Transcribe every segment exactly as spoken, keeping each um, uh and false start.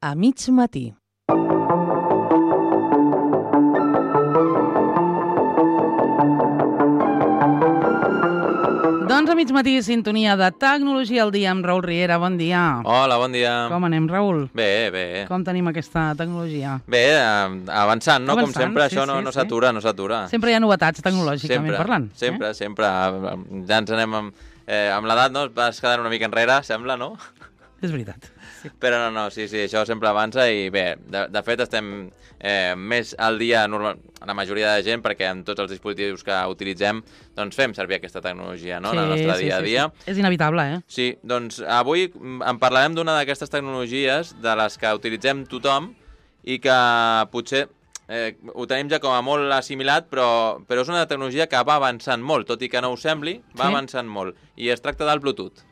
a mig matí. Doncs a mig matí, sintonia de Tecnologia al dia amb Raül Riera. Bon dia. Hola, bon dia. Com anem, Raül? Bé, bé. Com tenim aquesta tecnologia? Bé, avançant, no? Avançant, Com sempre, sí, això sí, no, no sí. s'atura, no s'atura. Sempre hi ha novetats tecnològicament sempre, parlant. Sempre, eh? sempre. Ja ens anem amb, eh, amb l'edat, no? Vas quedant una mica enrere, sembla, no? És veritat. Sí. Però no, no, sí, sí, això sempre avança i bé, de, de fet estem eh, més al dia, normal, la majoria de gent, perquè en tots els dispositius que utilitzem doncs fem servir aquesta tecnologia, no?, Sí, en el nostre sí, dia a sí, dia. Sí. És inevitable, eh? Sí, doncs avui en parlarem d'una d'aquestes tecnologies de les que utilitzem tothom i que potser eh, ho tenim ja com a molt assimilat, però, però és una tecnologia que va avançant molt, tot i que no ho sembli, va Sí. avançant molt. I es tracta del Bluetooth.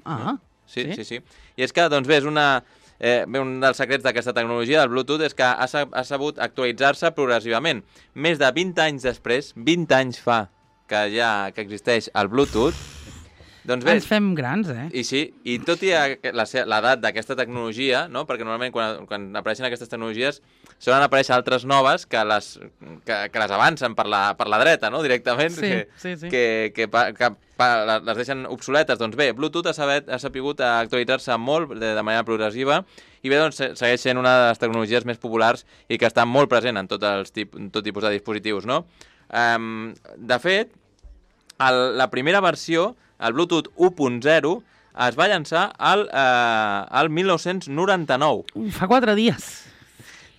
Ah, Sí, sí? sí, sí. I és que, doncs bé, és una, eh, bé, un dels secrets d'aquesta tecnologia, del Bluetooth, és que ha, sa- ha sabut actualitzar-se progressivament. Més de vint anys després, vint anys fa que ja que existeix el Bluetooth, doncs bé, Ens fem grans, eh? i sí, i tot i a- la se- l'edat d'aquesta tecnologia, no? Perquè normalment quan, quan apareixen aquestes tecnologies solen aparèixer altres noves que les, que, que les avancen per la, per la dreta, no? Directament, Sí, que, sí, sí. que, que, pa, que pa, les deixen obsoletes. Doncs bé, Bluetooth ha, sabet, ha sapigut actualitzar-se molt de, de manera progressiva i bé, doncs se- segueix sent una de les tecnologies més populars i que està molt present en tots els tip, en tot tipus de dispositius, no? Um, de fet, el, la primera versió, el Bluetooth u punt zero, es va llançar al, eh, al mil nou-cents noranta-nou. Ui, fa quatre dies.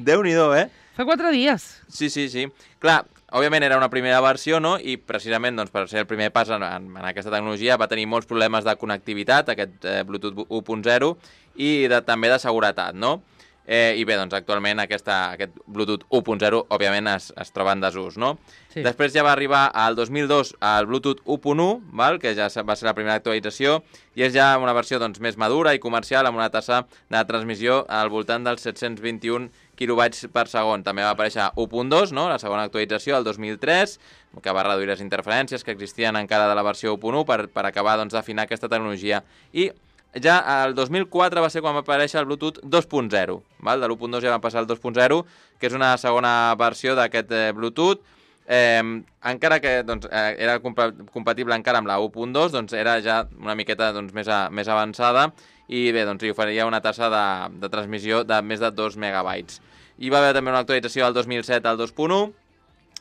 Déu-n'hi-do, eh? Fa quatre dies. Sí, sí, sí. Clar, òbviament era una primera versió, no? I precisament doncs, per ser el primer pas en, en, en aquesta tecnologia va tenir molts problemes de connectivitat, aquest eh, Bluetooth u punt zero, i de, també de seguretat, no? Eh, I bé, doncs actualment aquesta, aquest Bluetooth u punt zero òbviament es, es troba en desús, no? Sí. Després ja va arribar al dos mil dos el Bluetooth u punt u, val? Que ja va ser la primera actualització, i és ja una versió doncs, més madura i comercial amb una tassa de transmissió al voltant dels set-cents vint-i-un quilobytes per segon. També va aparèixer u punt dos, no? La segona actualització, el dos mil tres, que va reduir les interferències que existien encara de la versió u punt u per, per acabar doncs, d'afinar aquesta tecnologia. I ja el dos mil quatre va ser quan va aparèixer el Bluetooth dos punt zero. Val? De l'u punt dos ja va passar al dos punt zero, que és una segona versió d'aquest eh, Bluetooth. Eh, encara que doncs, eh, era compa compatible encara amb la u punt dos, doncs era ja una miqueta doncs, més, a, més avançada i bé, doncs hi oferia una tassa de, de transmissió de més de dos megabytes. Hi va haver també una actualització del dos mil set al dos punt u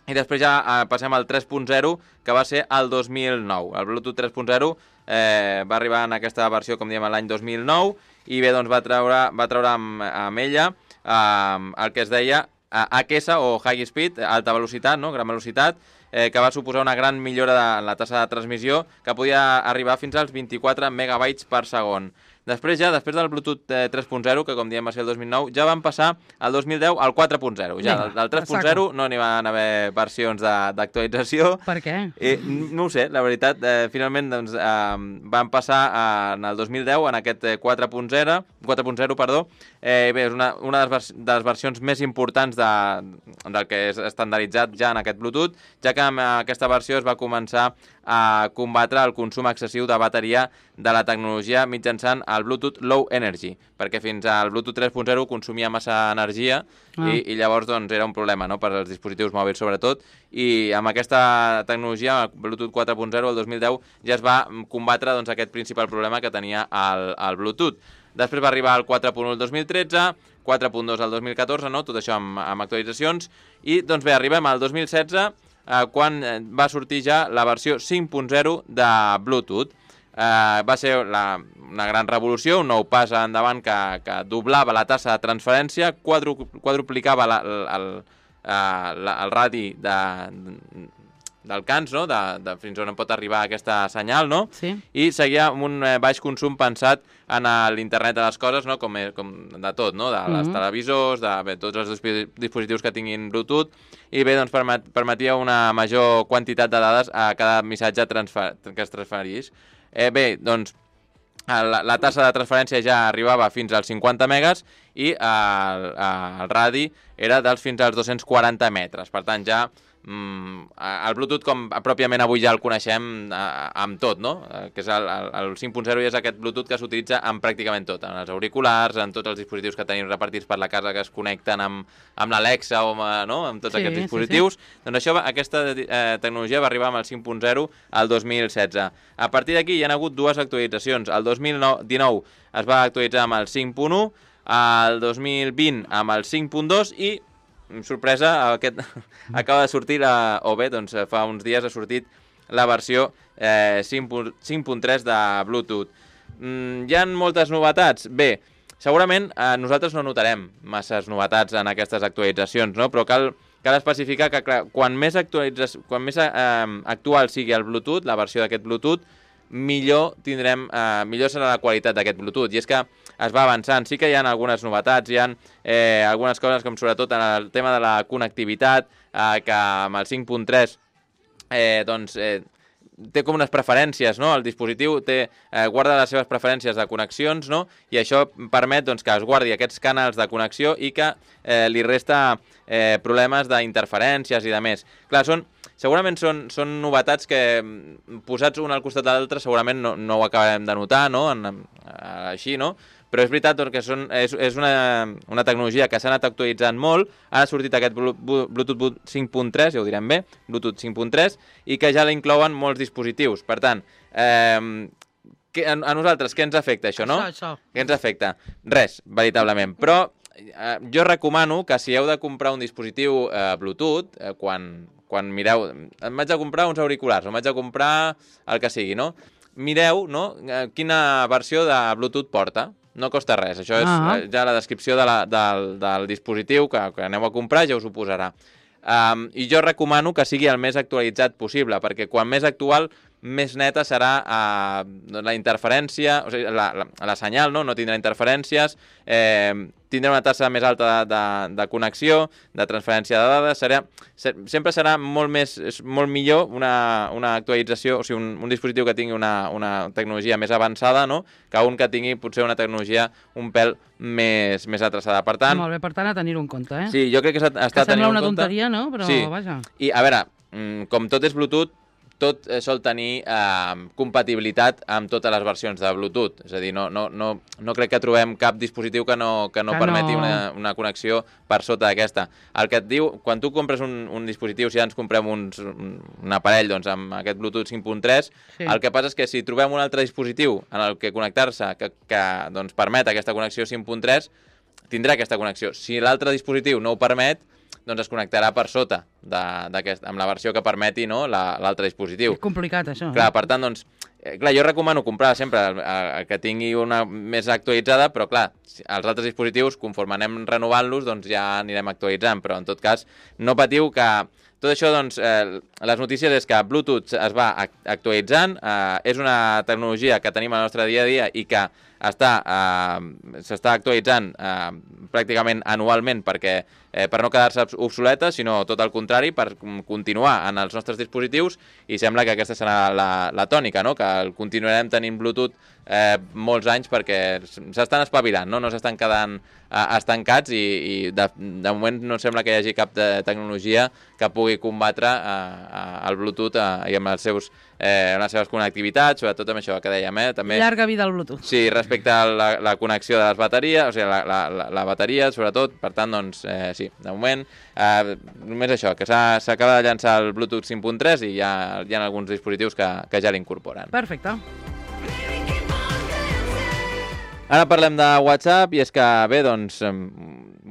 i després ja eh, passem al tres punt zero, que va ser el dos mil nou. El Bluetooth tres punt zero eh, va arribar en aquesta versió, com diem, l'any dos mil nou i bé, doncs va treure, va treure amb, amb ella eh, el que es deia H S o High Speed, alta velocitat, no? Gran velocitat, eh, que va suposar una gran millora de, en la tassa de transmissió que podia arribar fins als vint-i-quatre megabytes per segon. Després ja, després del Bluetooth eh, tres punt zero, que com diem va ser el dos mil nou, ja van passar al dos mil deu al quatre punt zero. Ja, del, del tres punt zero no n'hi van haver versions d'actualització. Per què? Eh, no ho sé, la veritat, eh, finalment doncs, eh, van passar eh, en el dos mil deu en aquest eh, quatre punt zero, quatre punt zero, perdó. Eh, bé, és una, una de, les vers de les versions més importants de, del que és estandarditzat ja en aquest Bluetooth, ja que amb aquesta versió es va començar a combatre el consum excessiu de bateria de la tecnologia mitjançant el Bluetooth Low Energy, perquè fins al Bluetooth tres punt zero consumia massa energia ah. i, i llavors doncs, era un problema, no?, per als dispositius mòbils sobretot, i amb aquesta tecnologia, el Bluetooth quatre punt zero, el dos mil deu, ja es va combatre doncs, aquest principal problema que tenia el, el Bluetooth. Després va arribar el quatre punt u el dos mil tretze, quatre punt dos el dos mil catorze, no?, tot això amb, amb actualitzacions, i doncs bé, arribem al dos mil setze, eh, quan va sortir ja la versió cinc punt zero de Bluetooth. Eh, va ser la, una gran revolució, un nou pas endavant que, que doblava la tassa de transferència, quadru, quadruplicava la, el, el, el, el radi de, d'alcance, no?, de, de fins on pot arribar aquesta senyal, no? Sí. I seguia amb un eh, baix consum pensat en l'internet de les coses, no?, com, com de tot, no?, de les mm-hmm. televisors, de bé, tots els dispositius que tinguin Bluetooth, i bé, doncs permet, permetia una major quantitat de dades a cada missatge transfer, que es transferís. Eh, bé, doncs, la, la tassa de transferència ja arribava fins als cinquanta megas i el, el radi era dels fins als dos-cents quaranta metres. Per tant, ja mm, el Bluetooth com pròpiament avui ja el coneixem eh, amb tot, no? Eh, que és el, el, el cinc punt zero i és aquest Bluetooth que s'utilitza en pràcticament tot, en els auriculars, en tots els dispositius que tenim repartits per la casa que es connecten amb, amb l'Alexa o amb, no? amb tots sí, aquests dispositius. Sí, sí. Doncs això, aquesta eh, tecnologia va arribar amb el cinc punt zero al dos mil setze. A partir d'aquí hi ha hagut dues actualitzacions. El dos mil dinou es va actualitzar amb el cinc punt u, el dos mil vint amb el cinc punt dos i, sorpresa, aquest acaba de sortir, la, o bé, doncs fa uns dies ha sortit la versió eh, cinc punt tres de Bluetooth. Mm, hi ha moltes novetats? Bé, segurament eh, nosaltres no notarem masses novetats en aquestes actualitzacions, no? Però cal, cal especificar que clar, quan més, quan més eh, actual sigui el Bluetooth, la versió d'aquest Bluetooth, millor tindrem, eh, millor serà la qualitat d'aquest Bluetooth. I és que es va avançant. Sí que hi ha algunes novetats, hi ha eh, algunes coses com sobretot en el tema de la connectivitat, eh, que amb el cinc punt tres eh, doncs, eh, té com unes preferències, no? El dispositiu té, eh, guarda les seves preferències de connexions, no? I això permet doncs, que es guardi aquests canals de connexió i que eh, li resta eh, problemes d'interferències i de més. Clar, són segurament són, són novetats que, posats un al costat de l'altre, segurament no, no ho acabarem de notar, no? En, així, no? Però és veritat que són, és, és una, una tecnologia que s'ha anat actualitzant molt. Ara ha sortit aquest Bluetooth cinc punt tres, ja ho direm bé, Bluetooth cinc punt tres, i que ja l'inclouen molts dispositius. Per tant, eh, que, a, a nosaltres, què ens afecta això, no? Això, això. Què ens afecta? Res, veritablement. Però eh, jo recomano que si heu de comprar un dispositiu eh, Bluetooth, eh, quan... quan mireu, em vaig a comprar uns auriculars, em vaig a comprar el que sigui, no? Mireu, no?, quina versió de Bluetooth porta. No costa res, això és ah. ja la descripció de la, del, del dispositiu que, que aneu a comprar, ja us ho posarà. Um, I jo recomano que sigui el més actualitzat possible, perquè quan més actual, més neta serà uh, la interferència, o sigui, la, la, la senyal, no? No tindrà interferències, eh, tindrà una tassa més alta de, de, de connexió, de transferència de dades, serà, ser, sempre serà molt més, molt millor una, una actualització, o sigui, un, un dispositiu que tingui una, una tecnologia més avançada, no?, que un que tingui potser una tecnologia un pèl més, més atraçada. Per tant... Molt bé, per tant, a tenir-ho en compte, eh? Sí, jo crec que està tenint en compte... Que sembla una tonteria, no?, però sí. Vaja. I, a veure, com tot és Bluetooth, tot sol tenir eh, compatibilitat amb totes les versions de Bluetooth. És a dir, no, no, no, no crec que trobem cap dispositiu que no, que no que permeti no... Una, una connexió per sota d'aquesta. El que et diu, quan tu compres un, un dispositiu, si ja ens comprem uns, un, un aparell doncs, amb aquest Bluetooth cinc punt tres, sí. El que passa és que si trobem un altre dispositiu en el que connectar-se que, que doncs, permet aquesta connexió cinc punt tres, tindrà aquesta connexió. Si l'altre dispositiu no ho permet, doncs es connectarà per sota de, amb la versió que permeti, no, l'altre dispositiu. És complicat, això. Clar, per tant, doncs, eh, clar, jo recomano comprar sempre el, el que tingui una més actualitzada, però clar, els altres dispositius, conforme anem renovant-los, doncs ja anirem actualitzant, però en tot cas, no patiu que... Tot això, doncs, eh, les notícies és que Bluetooth es va actualitzant, eh, és una tecnologia que tenim al nostre dia a dia i que està, eh, s'està actualitzant eh, pràcticament anualment perquè eh, per no quedar-se obsoleta, sinó tot el contrari, per continuar en els nostres dispositius, i sembla que aquesta serà la, la tònica, no?, que el continuarem tenint Bluetooth eh, molts anys perquè s'estan espavilant, no, no s'estan quedant eh, estancats i, i de, de moment no sembla que hi hagi cap de tecnologia que pugui combatre eh, el Bluetooth eh, i amb, els seus, eh, amb les seves connectivitats, sobretot amb això que dèiem, eh, també... Llarga vida al Bluetooth. Sí, respecte a la, la connexió de les bateries, o sigui, la, la, la, la bateria, sobretot, per tant, doncs, eh, sí, de moment, eh, només això, que s'acaba de llançar el Bluetooth cinc punt tres i ja hi ha alguns dispositius que, que ja l'incorporen. Perfecte. Ara parlem de WhatsApp, i és que, bé, doncs,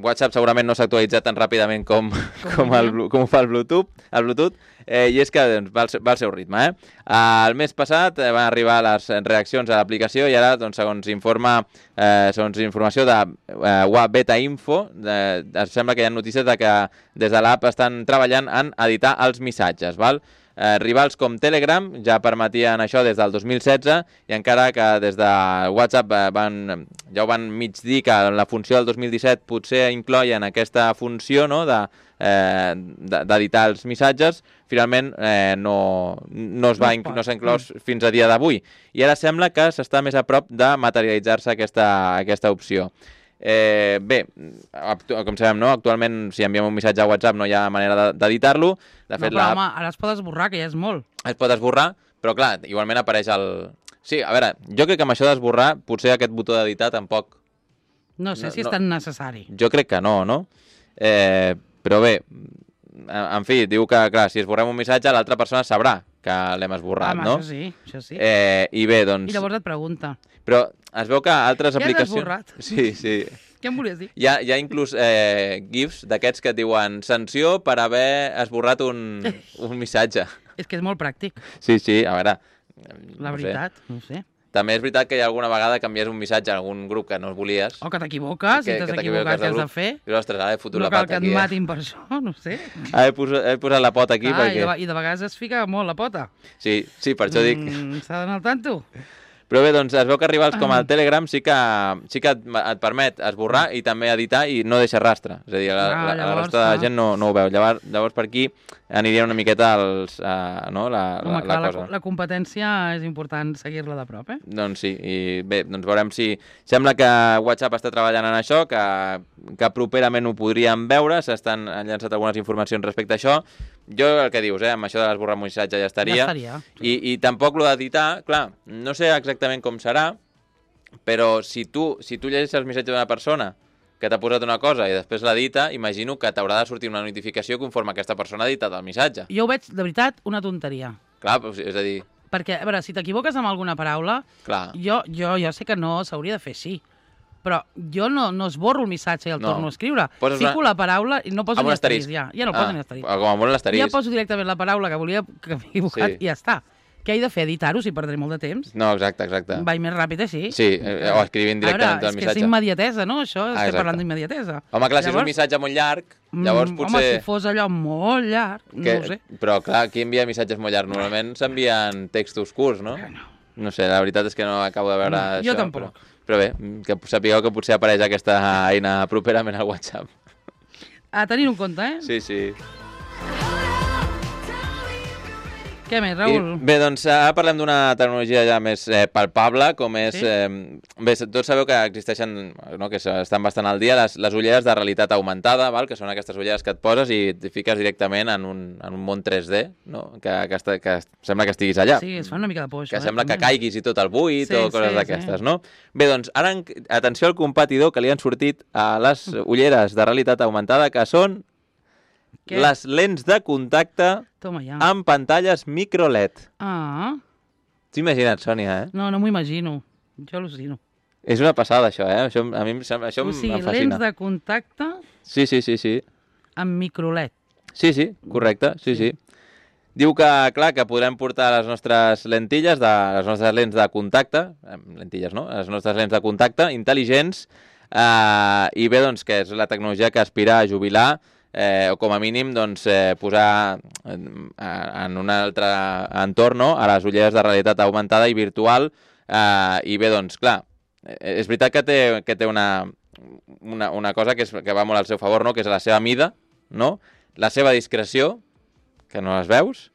WhatsApp segurament no s'ha actualitzat tan ràpidament com, com, el, com ho fa el Bluetooth, el Bluetooth eh, i és que doncs, va, al, va al seu ritme. Eh? El mes passat eh, van arribar les reaccions a l'aplicació i ara, doncs, segons informa, eh, segons informació de eh, Beta Info, eh, sembla que hi ha notícies de que des de l'app estan treballant en editar els missatges, val? Eh, rivals com Telegram ja permetien això des del dos mil setze i encara que des de WhatsApp eh, van, ja ho van mig dir que la funció del dos mil disset potser incloien aquesta funció, no?, de, eh, d'editar els missatges, finalment eh, no, no es va no no s'ha inclòs fins a dia d'avui. I ara sembla que s'està més a prop de materialitzar-se aquesta, aquesta opció. Eh, bé, com sabem, no? Actualment, si enviem un missatge a WhatsApp no hi ha manera d'editar-lo. De fet, no, però home, ara es pot esborrar, que ja és molt. Es pot esborrar, però clar, igualment apareix el... Sí, a veure, jo crec que amb això d'esborrar, potser aquest botó d'editar tampoc... No sé no, si és no, tan necessari. Jo crec que no, no? Eh, però bé, en fi, diu que, clar, si esborrem un missatge, l'altra persona sabrà que l'hem esborrat, home, no? Això sí, això sí. Eh, I bé, doncs... I llavors et pregunta. Però es veu que altres Què has aplicacions... esborrat? Sí, sí. Què em volies dir? Hi ha, hi ha inclús eh, gifs d'aquests que et diuen sanció per haver esborrat un, un missatge. És que és molt pràctic. Sí, sí, a veure... La no veritat, sé. no ho sé. També és veritat que hi ha alguna vegada que envies un missatge a algun grup que no es volies. O que t'equivoques, si t'has equivocat, què has de fer? I ostres, ara he fotut no la cal pata que aquí. et Eh? matin per això, no ho sé. Ara he posat, he posat la pota aquí ah, perquè... I de, I de vegades es fica molt la pota. Sí, sí, per això dic... Mm, S'ha d'anar al tanto. Però bé, doncs es veu que rivals com el Telegram sí que, sí que et, et permet esborrar i també editar i no deixa rastre. És a dir, la, Ah, la, la llavors, resta de ah. gent no, no ho veu. Llavors, llavors per aquí aniria una miqueta als, uh, no, la, Home, la, clar, la la, cosa. la competència és important seguir-la de prop, eh? Doncs sí, i bé, doncs veurem si... Sembla que WhatsApp està treballant en això, que, que properament ho podríem veure, s'estan han llançat algunes informacions respecte a això. Jo el que dius, eh, amb això d'esborrar un missatge ja estaria. Ja estaria. Sí. I, I tampoc lo d'editar, clar, no sé exactament com serà, però si tu, si tu llegeixes el missatge d'una persona que t'ha posat una cosa i després l'edita, imagino que t'haurà de sortir una notificació conforme aquesta persona ha editat el missatge. Jo ho veig, de veritat, una tonteria. Clar, és a dir... Perquè, a veure, si t'equivoques amb alguna paraula, clar. Jo, jo, jo sé que no s'hauria de fer així, però jo no, no esborro el missatge i el no. torno a escriure. Poses Fico una... la paraula i no poso ni asterisc, ja. Ja no ah, poso ni asterisc. Com a molt l'asterisc. Ja poso directament la paraula que volia que m'he equivocat sí. i ja està. Què he de fer? Editar-ho si perdré molt de temps? No, exacte, exacte. Vaig més ràpid així. Sí, eh, o escrivint directament veure, el missatge. És que és immediatesa, no? Això, ah, estem parlant d'immediatesa. Home, clar, llavors... si és un missatge molt llarg, llavors mm, potser... Home, si fos allò molt llarg, que... no ho sé. Però clar, qui envia missatges molt llargs? Normalment s'envien textos curts, no? no? No sé, la veritat és que no acabo de veure no, això. Jo tampoc. Però, però bé, que sapigueu que potser apareix aquesta eina properament al WhatsApp. A tenir un compte, eh? Sí, sí. Què més, Raül? I, bé, doncs ara parlem d'una tecnologia ja més eh, palpable, com és... Sí? Eh, bé, tots sabeu que existeixen, no, que estan bastant al dia, les, les ulleres de realitat augmentada, val? Que són aquestes ulleres que et poses i et fiques directament en un, en un món tres D, no? que, que, esta, que sembla que estiguis allà. Sí, es fa una mica de por, això. Que eh? sembla que caiguis i tot el buit sí, o coses sí, d'aquestes, sí. no? Bé, doncs ara, atenció al competidor que li han sortit a les ulleres de realitat augmentada, que són... Què? Les lents de contacte Toma ja. amb pantalles micro L E D. Ah. T'imagina't, Sònia, eh? No, no m'ho imagino. Jo al·lucino. És una passada, això, eh? Això, a mi això o sigui, em fascina. lents de contacte sí, sí, sí, sí. amb micro L E D. Sí, sí, correcte, sí, sí. sí. Diu que, clar, que podrem portar les nostres lentilles, de, les nostres lents de contacte, lentilles, no? Les nostres lents de contacte intel·ligents, eh, i bé, doncs, que és la tecnologia que aspira a jubilar Eh, o com a mínim doncs, eh, posar en, en un altre entorn, no? A les ulleres de realitat augmentada i virtual eh, i bé, doncs clar, és veritat que té, que té una, una, una cosa que, és, que va molt al seu favor, no? Que és la seva mida, no? La seva discreció, que no les veus,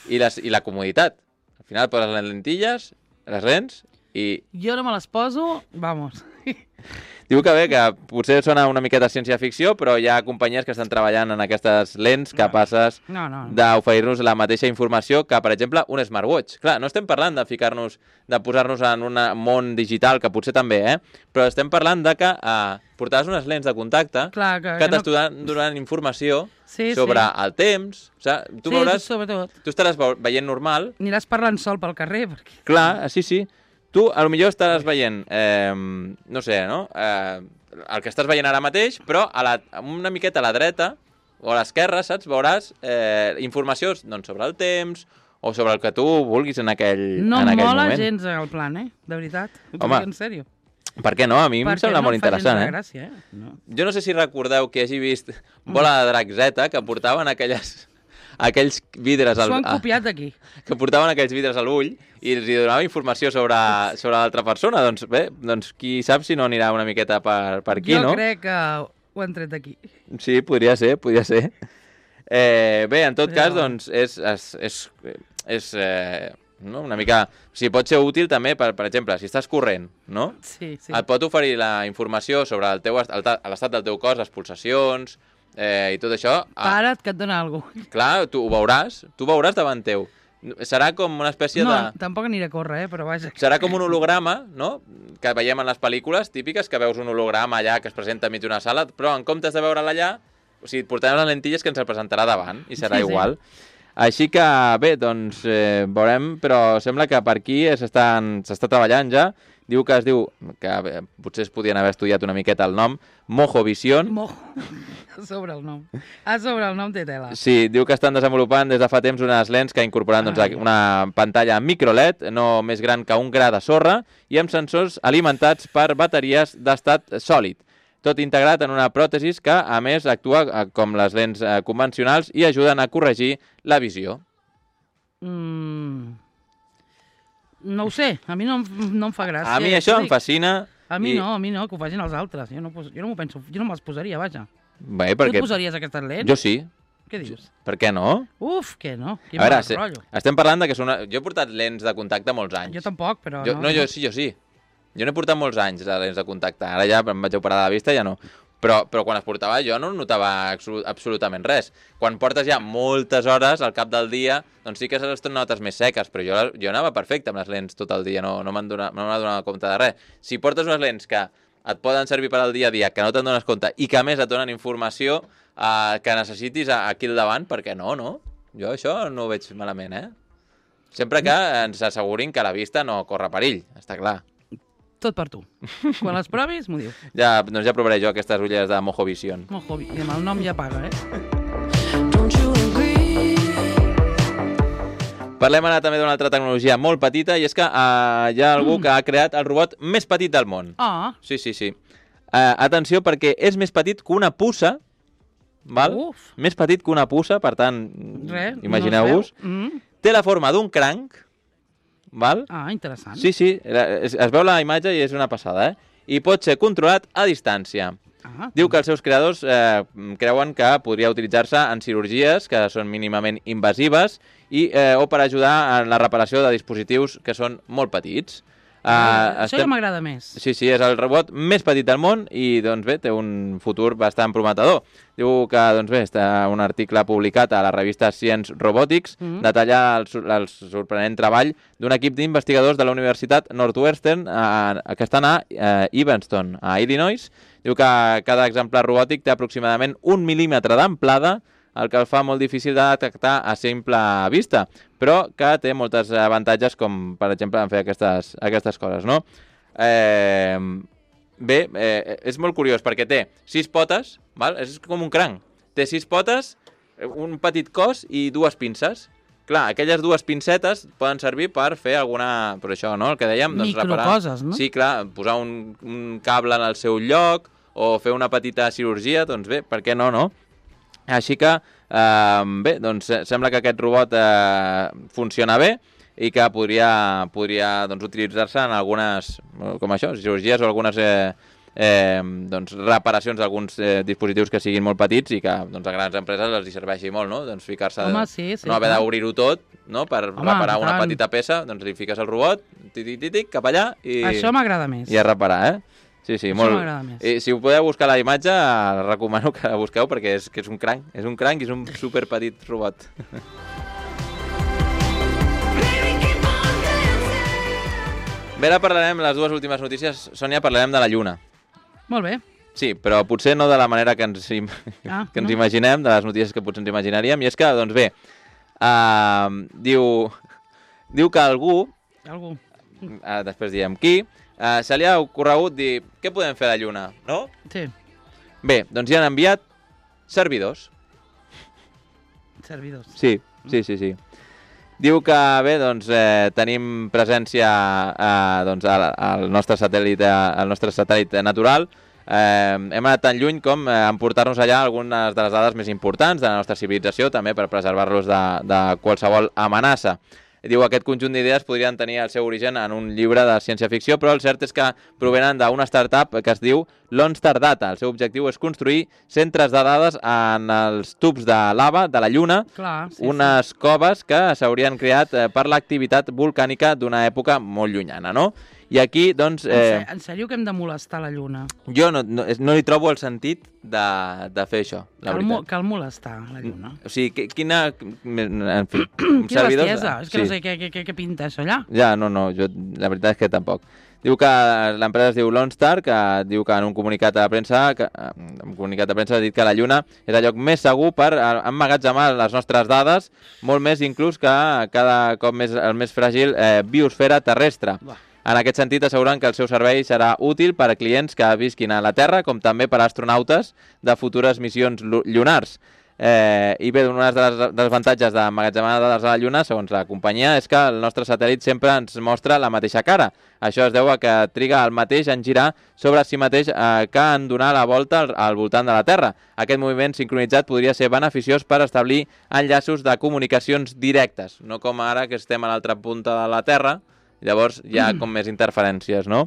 i, les, i la comoditat. Al final poses les lentilles, les lents i... Jo no me les poso, vamos... Diu que bé, que potser sona una miqueta ciència-ficció, però hi ha companyies que estan treballant en aquestes lents capaces no, no, no. d'oferir-nos la mateixa informació que, per exemple, un smartwatch. Clar, no estem parlant de ficar-nos, de posar-nos en un món digital, que potser també, eh? Però estem parlant de que eh, portaràs unes lents de contacte Clar, que, que, que t'estaran no... donant informació sí, sobre sí. el temps. O sigui, tu sí, veuràs... sobretot. Tu estaràs veient normal. Aniràs parlant sol pel carrer. Perquè... Clar, sí, sí. Tu, a lo millor estaràs veient, eh, no sé, no? Eh, el que estàs veient ara mateix, però a la, una miqueta a la dreta o a l'esquerra, saps? Veuràs eh, informació doncs, sobre el temps o sobre el que tu vulguis en aquell, no en aquell moment. No mola gens el plan, eh? De veritat. Ho Home, dic en sèrio. Per què no? A mi Perquè em sembla no molt interessant, eh? Gràcia, eh? No. Jo no sé si recordeu que hagi vist Bola de Drac Z, que portaven aquelles... aquells vidres al... S'ho han copiat d'aquí. Que portaven aquells vidres a l'ull i els donava informació sobre, sobre l'altra persona. Doncs bé, doncs qui sap si no anirà una miqueta per, per aquí, jo no? Jo crec que ho han tret d'aquí. Sí, podria ser, podria ser. Eh, bé, en tot Però... cas, doncs, és... és, és, és eh, no? Una mica... O sigui, pot ser útil també, per, per exemple, si estàs corrent, no? Sí, sí. Et pot oferir la informació sobre el teu l'estat del teu cos, les pulsacions eh, i tot això. Para't, que et dona alguna cosa. Clar, tu ho veuràs, tu ho veuràs davant teu. Serà com una espècie no, de... No, tampoc aniré a córrer, eh, però vaja. Serà com un holograma, no?, que veiem en les pel·lícules típiques, que veus un holograma allà que es presenta enmig d'una sala, però en comptes de veure'l allà, o sigui, et portarem les lentilles que ens el presentarà davant, i serà sí, igual. Sí. Així que, bé, doncs, eh, veurem, però sembla que per aquí s'està treballant ja. Diu que es diu, que bé, potser es podien haver estudiat una miqueta el nom, Mojo Vision. Mojo, a sobre el nom. A sobre el nom té tela. Sí, diu que estan desenvolupant des de fa temps unes lents que incorporen doncs, una pantalla micro L E D, no més gran que un gra de sorra, i amb sensors alimentats per bateries d'estat sòlid. Tot integrat en una pròtesi que, a més, actua com les lents convencionals i ajuden a corregir la visió. Mm... No ho sé, a mi no, no em fa gràcia. A mi això em fascina. A mi i... no, a mi no, que ho facin els altres. Jo no, jo no m'ho penso, jo no me'ls posaria, vaja. Bé, perquè... Tu et posaries aquestes lents? Jo sí. Què dius? Per què no? Uf, què no? Quin a veure, se... rotllo. Estem parlant de que són... Jo he portat lents de contacte molts anys. Jo tampoc, però jo, no. No, jo sí, jo sí. Jo n'he portat molts anys de lents de contacte. Ara ja em vaig operar de la vista, ja no. Però, però quan es portava jo no notava absolutament res. Quan portes ja moltes hores al cap del dia, doncs sí que les notes més seques, però jo, jo anava perfecte amb les lents tot el dia, no, no m'han donat, no donat compte de res. Si portes unes lents que et poden servir per al dia a dia, que no te'n dones compte, i que a més et donen informació eh, que necessitis aquí al davant, perquè no, no? Jo això no ho veig malament, eh? Sempre que ens assegurin que la vista no corre perill, està clar. Tot per tu. Quan les provis, m'ho dius. Ja, doncs ja provaré jo aquestes ulleres de Mojo Vision. Mojo Vision. I amb el nom ja paga, eh? Parlem ara també d'una altra tecnologia molt petita, i és que uh, hi ha algú mm. que ha creat el robot més petit del món. Ah. Sí, sí, sí. Uh, atenció, perquè és més petit que una puça, val? Uf. Més petit que una puça, per tant, imagineu-vos. No mm. Té la forma d'un cranc, val? Ah, interessant. Sí, sí, es, es veu la imatge i és una passada, eh? I pot ser controlat a distància. Ah. Diu que els seus creadors eh, creuen que podria utilitzar-se en cirurgies que són mínimament invasives i, eh, o per ajudar en la reparació de dispositius que són molt petits. Uh, Això estem... ja m'agrada més. Sí, sí, és el robot més petit del món i, doncs bé, té un futur bastant prometedor. Diu que, doncs bé, està un article publicat a la revista Science Robotics mm-hmm. detalla el, el sorprenent treball d'un equip d'investigadors de la Universitat Northwestern eh, que estan a eh, Evanston, a Illinois. Diu que cada exemplar robòtic té aproximadament un mil·límetre d'amplada, el que el fa molt difícil de detectar a simple vista, però que té moltes avantatges, com per exemple en fer aquestes, aquestes coses, no? Eh, bé, eh, és molt curiós perquè té sis potes, val? És com un cranc. Té sis potes, un petit cos i dues pinces. Clar, aquelles dues pincetes poden servir per fer alguna... Per això, no? El que dèiem, doncs reparar... Microcoses, no? Sí, clar, posar un, un cable en el seu lloc o fer una petita cirurgia, doncs bé, per què no, no? Així que, eh, bé, doncs sembla que aquest robot eh, funciona bé i que podria, podria doncs, utilitzar-se en algunes, com això, cirurgies o algunes eh, eh, doncs, reparacions d'alguns eh, dispositius que siguin molt petits i que doncs, a grans empreses els hi serveixi molt, no? Doncs ficar-se, Home, sí, sí, no haver d'obrir-ho tot, no? Per Home, reparar una tant. petita peça, doncs li fiques el robot, tic-tic-tic, cap allà i... Això m'agrada més. I a reparar, eh? Sí, sí, Això molt... m'agrada més. I si ho podeu buscar a la imatge, recomano que la busqueu perquè és, que és un cranc, és un cranc i és un superpetit robot. Bé, ara parlarem, les dues últimes notícies, Sònia, parlarem de la Lluna. Molt bé. Sí, però potser no de la manera que ens, im... ah, que ens no? imaginem, de les notícies que potser ens imaginaríem, i és que, doncs bé, uh, diu, diu que algú, algú. Uh, després diem qui, Uh, se li ha ocorregut dir què podem fer a la Lluna, no? Sí. Bé, doncs hi han enviat servidors. Servidors. Sí, sí, sí, sí. Diu que, bé, doncs eh, tenim presència eh, doncs, al, al nostre satèl·lit, al nostre satèl·lit natural. Eh, hem anat tan lluny com eh, emportar-nos allà algunes de les dades més importants de la nostra civilització, també per preservar-los de, de qualsevol amenaça. diu aquest conjunt d'idees podrien tenir el seu origen en un llibre de ciència-ficció, però el cert és que provenen d'una startup que es diu Lonstar Data. El seu objectiu és construir centres de dades en els tubs de lava de la Lluna, Clar, sí, unes sí. coves que s'haurien creat per l'activitat volcànica d'una època molt llunyana, no? I aquí, doncs... Eh... En sèrio que hem de molestar la Lluna? Jo no, no, no li trobo el sentit de, de fer això, la cal, veritat. mo cal molestar la Lluna. O sigui, quina... En fi... Quina servidors... bestiesa, és que sí. no sé què, què, què pinta això allà. Ja, no, no, jo, la veritat és que tampoc. Diu que l'empresa es diu Lonstar, que diu que en un comunicat de premsa, que, en un comunicat de premsa ha dit que la Lluna és el lloc més segur per emmagatzemar les nostres dades, molt més inclús que cada cop més, el més fràgil eh, biosfera terrestre. Bah. En aquest sentit, asseguren que el seu servei serà útil per a clients que visquin a la Terra, com també per a astronautes de futures missions llunars. Eh, I bé, un dels avantatges d'emmagatzemar dades a la Lluna, segons la companyia, és que el nostre satèl·lit sempre ens mostra la mateixa cara. Això es deu a que triga el mateix en girar sobre si mateix eh, que en donar la volta al, al voltant de la Terra. Aquest moviment sincronitzat podria ser beneficiós per establir enllaços de comunicacions directes, no com ara que estem a l'altra punta de la Terra. Llavors hi ha com més interferències, no?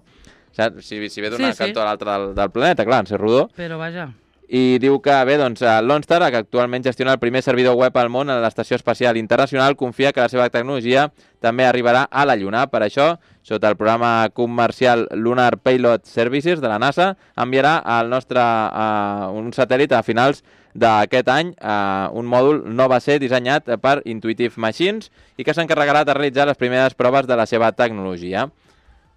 Si, si ve d'una sí, sí. cantó a l'altra del, del planeta, clar, en ser rodó. Però vaja. I diu que, bé, doncs, Lonstar, que actualment gestiona el primer servidor web al món a l'Estació Espacial Internacional, confia que la seva tecnologia també arribarà a la Lluna. Per això, sota el programa comercial Lunar Payload Services de la NASA, enviarà al nostre uh, un satèl·lit a finals d'aquest any, eh, un mòdul no va ser dissenyat per Intuitive Machines i que s'encarregarà de realitzar les primeres proves de la seva tecnologia.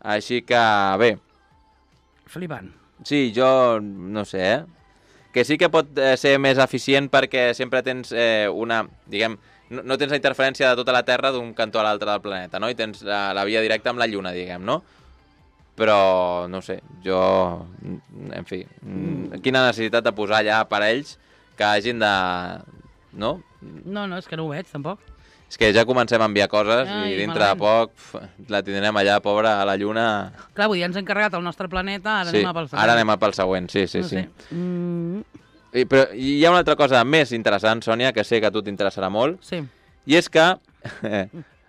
Així que, bé... Flipant. Sí, jo no sé, eh? Que sí que pot eh, ser més eficient perquè sempre tens eh, una... diguem, no, no tens la interferència de tota la Terra d'un cantó a l'altre del planeta, no? I tens la, la via directa amb la Lluna, diguem, no? Però, no sé, jo... En fi, mm. quina necessitat de posar allà aparells que hagin de... No? No, no, és que no ho veig, tampoc. És que ja comencem a enviar coses Ai, i dintre malament. de poc pf, la tindrem allà, pobra, a la Lluna. Clar, vull dir, ens hem carregat el nostre planeta, ara sí, anem a pel següent. ara anem a pel següent, sí, sí, no sí. Sé. Mm. I, però hi ha una altra cosa més interessant, Sònia, que sé que a tu t'interessarà molt. Sí. I és que eh,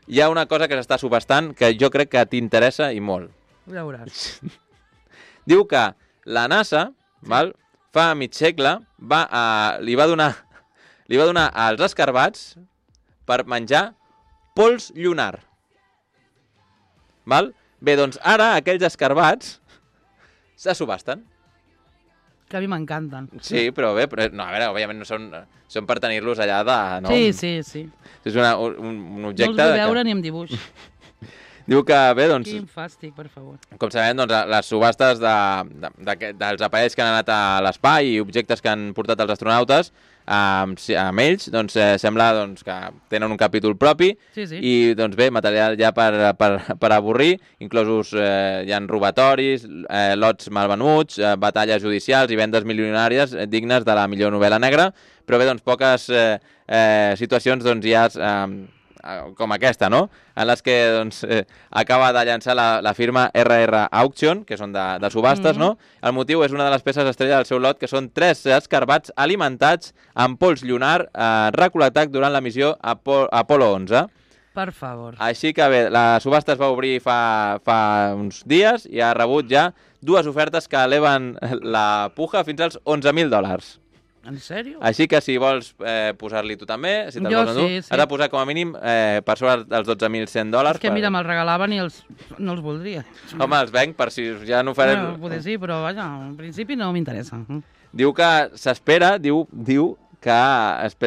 hi ha una cosa que s'està subhastant que jo crec que t'interessa i molt. Ja veuràs. Diu que la NASA, sí. val, fa mig segle, va, a, li, va donar, li va donar als escarbats per menjar pols llunar. Val? Bé, doncs ara aquells escarbats se subhasten. Que a mi m'encanten. Sí, però bé, però, no, a veure, òbviament no són, són per tenir-los allà de... No? Sí, sí, sí. És una, un, un objecte... No els vull veure que... ni amb dibuix. Diu que, bé, doncs... Quin fàstic, per favor. Com sabem, doncs, les subhastes de, de, de, dels aparells que han anat a l'espai i objectes que han portat els astronautes, amb, amb ells, doncs, eh, sembla doncs, que tenen un capítol propi sí, sí. i, doncs, bé, material ja per, per, per avorrir, inclosos eh, hi ha robatoris, eh, lots malvenuts, eh, batalles judicials i vendes milionàries eh, dignes de la millor novel·la negra, però bé, doncs, poques eh, eh, situacions doncs, hi ha... Eh, com aquesta, no? En les que doncs, eh, acaba de llançar la, la firma R R Auction, que són de, de subhastes, mm-hmm. no? El motiu és una de les peces estrella del seu lot, que són tres escarbats alimentats amb pols llunar eh, recol·lectat durant la missió Apo Apolo onze. Per favor. Així que bé, la subhasta es va obrir fa, fa uns dies i ha rebut ja dues ofertes que eleven la puja fins als onze mil dòlars. En sèrio? Així que si vols eh, posar-li tu també, si te'l vols sí, tu, sí. has de posar com a mínim eh, per sobre dels dotze mil cent dòlars. És que per... mira, me'ls regalaven i els... no els voldria. Home, els venc per si ja no farem... Bueno, potser sí, però vaja, en principi no m'interessa. Diu que s'espera, diu, diu que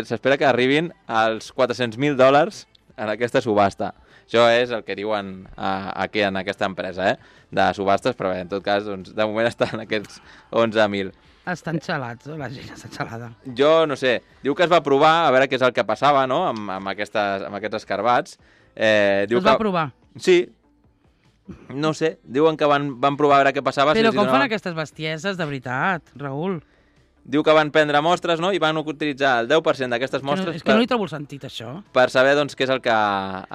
s'espera que arribin als quatre-cents mil dòlars en aquesta subhasta. Això és el que diuen a, aquí en aquesta empresa, eh? De subhastes, però bé, en tot cas, doncs, de moment estan aquests onze mil. Estan xalats, la gent està xalada. Jo no sé, diu que es va provar a veure què és el que passava, no?, amb, amb, aquestes, amb aquests escarbats. Eh, diu es va que... provar? Sí. No sé, diuen que van, van provar a veure què passava. Però si com no... fan aquestes bestieses, de veritat, Raül? diu que van prendre mostres, no?, i van utilitzar el deu per cent d'aquestes mostres... No, és que per, no hi trobo el sentit, això. Per saber, doncs, què és el que,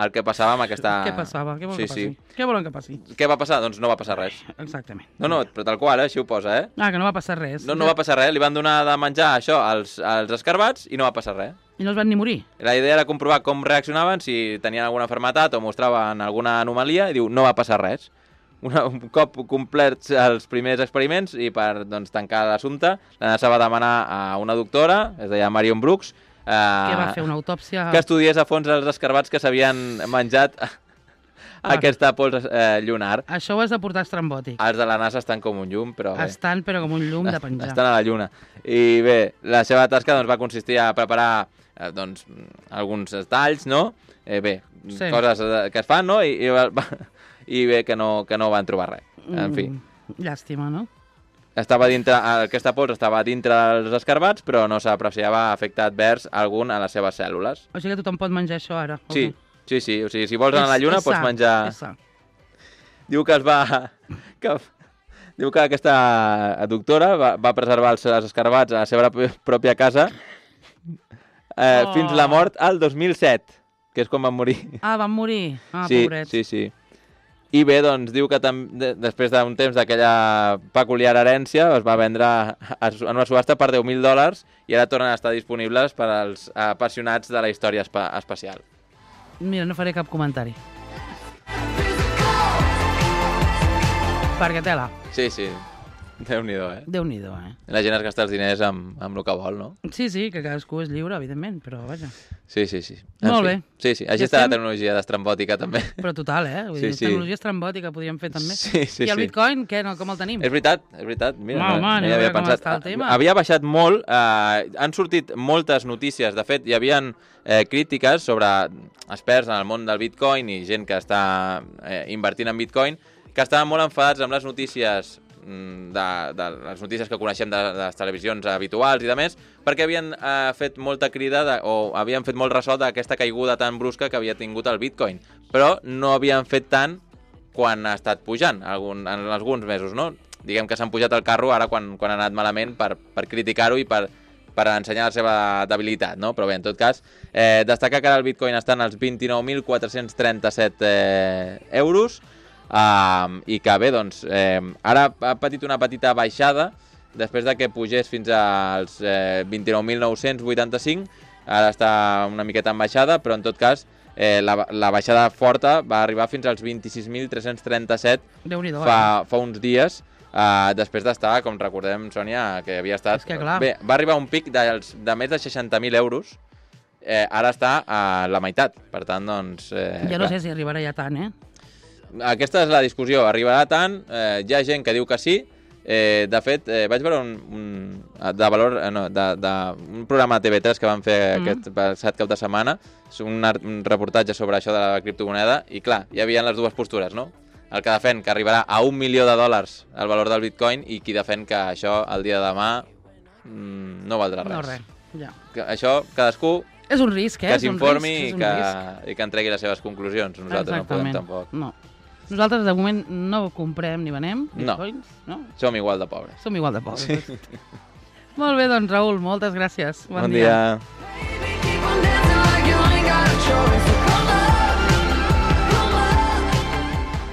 el que passava amb aquesta... Què passava? Què volen sí, que passi? Sí. Què volen que passi? Què va passar? Doncs no va passar res. Exactament. No, no, però tal qual, eh? Així ho posa, eh? Ah, que no va passar res. No, no va passar res. Li van donar de menjar això als, als escarbats i no va passar res. I no es van ni morir? La idea era comprovar com reaccionaven, si tenien alguna malaltia o mostraven alguna anomalia, i diu, no va passar res. Una, un cop complets els primers experiments i per doncs, tancar l'assumpte, la NASA va demanar a una doctora, es deia Marion Brooks, eh, que va fer una autòpsia... que estudiés a fons els escarbats que s'havien menjat ah. aquesta pols eh, lunar. Això ho has de portar estrambòtic. Els de la NASA estan com un llum, però bé. Estan, però com un llum de penjar. Estan a la lluna. I bé, la seva tasca doncs, va consistir a preparar eh, doncs, alguns talls, no? Eh, bé, sí. Coses que es fan, no? I, i va... i bé que no, que no van trobar res. En fi. Mm, llàstima, no? Estava dintre, aquesta pols estava dintre dels escarbats, però no s'apreciava efecte advers algun a les seves cèl·lules. O sigui que tothom pot menjar això ara? Sí, sí, sí. O sigui, si vols anar a la lluna és pots sa, menjar... És sa. Diu que es va... Que... Diu que aquesta doctora va, va preservar els, els escarbats a la seva pròpia casa eh, oh. fins la mort al dos mil set, que és quan van morir. Ah, van morir? Ah, sí, pobrets. Sí, sí. I bé, doncs, diu que tam després d'un temps d'aquella peculiar herència es va vendre en una subhasta per deu mil dòlars i ara tornen a estar disponibles per als apassionats de la història espa espacial. Mira, no faré cap comentari. Perquè tela. Sí, sí. Déu-n'hi-do, eh? Déu-n'hi-do, eh? La gent es gasta els diners amb, amb el que vol, no? Sí, sí, que cadascú és lliure, evidentment, però vaja. Sí, sí, sí. En Molt fi. bé. Sí, sí. Així Ja està estem... la tecnologia d'estrambòtica, també. Però total, eh? Vull sí, dir, sí. tecnologia estrambòtica podríem fer també. Sí, sí, I el sí. Bitcoin, què? No, com el tenim? És veritat, és veritat. Mira, Home, no, home, no hi havia com pensat. està el tema. Havia baixat molt, eh, han sortit moltes notícies. De fet, hi havia eh, crítiques sobre experts en el món del Bitcoin i gent que està eh, invertint en Bitcoin, que estaven molt enfadats amb les notícies de, de les notícies que coneixem de, de les televisions habituals i de més, perquè havien eh, fet molta crida de, o havien fet molt ressò d'aquesta caiguda tan brusca que havia tingut el Bitcoin, però no havien fet tant quan ha estat pujant algun, en alguns mesos, no? Diguem que s'han pujat al carro ara quan, quan ha anat malament per, per criticar-ho i per, per ensenyar la seva debilitat, no? Però bé, en tot cas, eh, destacar que ara el Bitcoin està en els vint-i-nou mil quatre-cents trenta-set eh, euros, Uh, i que bé, doncs, eh, ara ha patit una petita baixada després de que pugés fins als eh, vint-i-nou mil nou-cents vuitanta-cinc, ara està una miqueta en baixada, però en tot cas eh, la, la baixada forta va arribar fins als vint-i-sis mil tres-cents trenta-set fa, fa uns dies, uh, després d'estar, com recordem, Sònia, que havia estat... Que bé, va arribar un pic de, de més de seixanta mil euros, eh, ara està a la meitat, per tant, doncs... Eh, ja no clar. sé si arribarà ja tant, eh? Aquesta és la discussió, arribarà tant, eh, hi ha gent que diu que sí, eh, de fet, eh, vaig veure un, un, de valor, eh, no, de, de, un programa de T V tres que van fer mm. aquest passat cap de setmana, un, un reportatge sobre això de la criptomoneda, i clar, hi havia les dues postures, no? El que defen que arribarà a un milió de dòlars el valor del Bitcoin i qui defen que això el dia de demà mm, no valdrà res. No res, ja. Que això, cadascú... És un risc, eh? Que s'informi i, que, risc. i que entregui les seves conclusions. Nosaltres Exactament. no podem tampoc. No. Nosaltres, de moment, no comprem ni venem bitcoins, no? no? Som igual de pobres. Som igual de pobres. Sí. Molt bé, doncs, Raül, moltes gràcies. Bon, bon dia. dia.